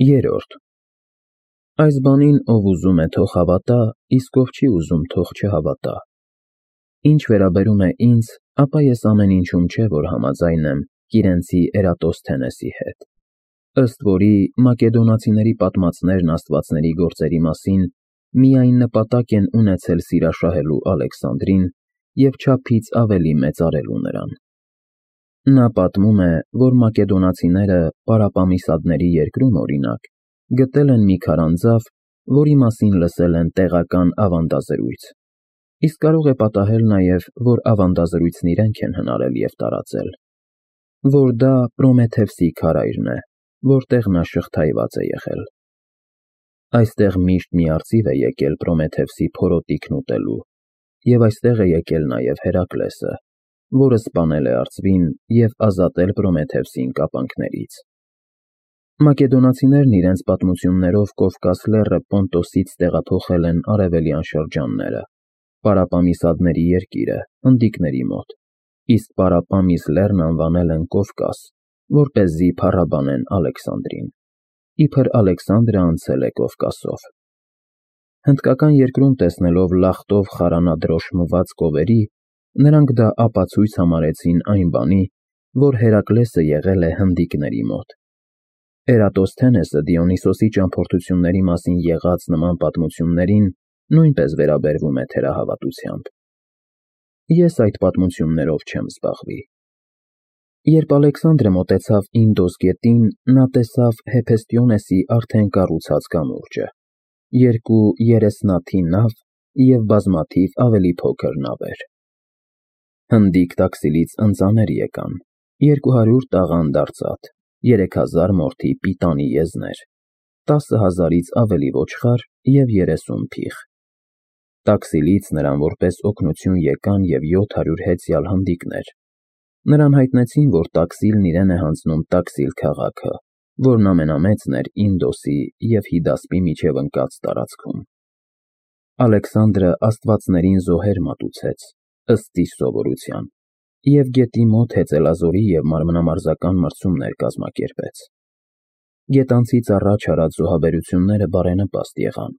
Երրորդ Այս բանին ով ուզում է թող հավատա, իսկ ով չի ուզում թող չհավատա։ Ինչ վերաբերում է ինձ, ապա ես ամեն ինչում չէ, որ համաձայն եմ Կիրենցի Էրատոսթենեսի հետ, ըստ որի մակեդոնացիների պատմածներն աստվածների գործերի մասին միայն նպատակ են ունեցել սիրաշահելու Ալեքսանդրին և չափից ավելի մեծարելու նրան։ Նա պատմում է, որ մակեդոնացիները Պարապամիսադների երկրում, օրինակ, գտել են մի քարանձավ, որի մասին լսել են տեղական ավանդազրույց, իսկ կարող է պատահել նաև, որ ավանդազրույցն իրենք են հնարել և տարածել, որ դա Պրոմեթևսի քարայրն է, որտեղ նա շղթայված է եղել։ Այստեղ միշտ մի արծիվ է եկել Պրոմեթևսի փորոտիքն ուտելու, և այստեղ է եկել նաև Հերակլեսը, որը սպանել է արծվին և ազատել Պրոմեթևսին կապանքներից։ Մակեդոնացիներն իրենց պատմություններով Կովկաս լեռը Պոնտոսից տեղափոխել են արևելյան շրջանները, Պարապամիսադների երկիրը, հնդիկների մոտ, իսկ Պարապամիս լեռն անվանել են Կովկաս, որպեսզի փառաբանեն Ալեքսանդրին, իբր Ալեքսանդրը անցել է Կովկասով։ Հնդկական երկրում տեսնելով լախտով խարանադրոշմված կովերի, նրանք դա ապացույց համարեցին այն բանի, որ Հերակլեսը եղել է հնդիկների մոտ։ Էրատոսթենեսը Դիոնիսոսի ճամփորդությունների մասին եղած նման պատմություններին նույնպես վերաբերվում է թերահավատությամբ։ Ես այդ պատմություններով չեմ զբաղվի։ Երբ Ալեքսանդրը մոտեցավ Ինդոս գետին, նա տեսավ Հեփեստիոնեսի արդեն կառուցած կամուրջը, երկու երեսնաթի նավ և բազմաթիվ ավելի փոքր նավեր։ Հնդիկ տաքսիլից ընծաներ եկան, 200 տաղանդ արծաթ, 3000 մորթի պիտանի եզներ, 10,000-ից ավելի ոչխար և 30 փիղ։ Տաքսիլից նրան որպես օգնություն եկան և 700 հեծյալ հնդիկներ։ Նրան հայտնեցին, որ տաքսիլն իրեն է հանձնում Տաքսիլ քաղաքը, որն ամենամեծն էր Ինդոսի և Հիդասպի միջև ընկած տարածքում։ Ալեքսանդրը աստվածներին զոհեր մատուցեց, ըստ իր սովորության, և գետի մոտ հեծելազորի և մարմնամարզական մրցումներ կազմակերպեց։ Գետանցից առաջ արած զոհաբերությունները բարենպաստ եղան,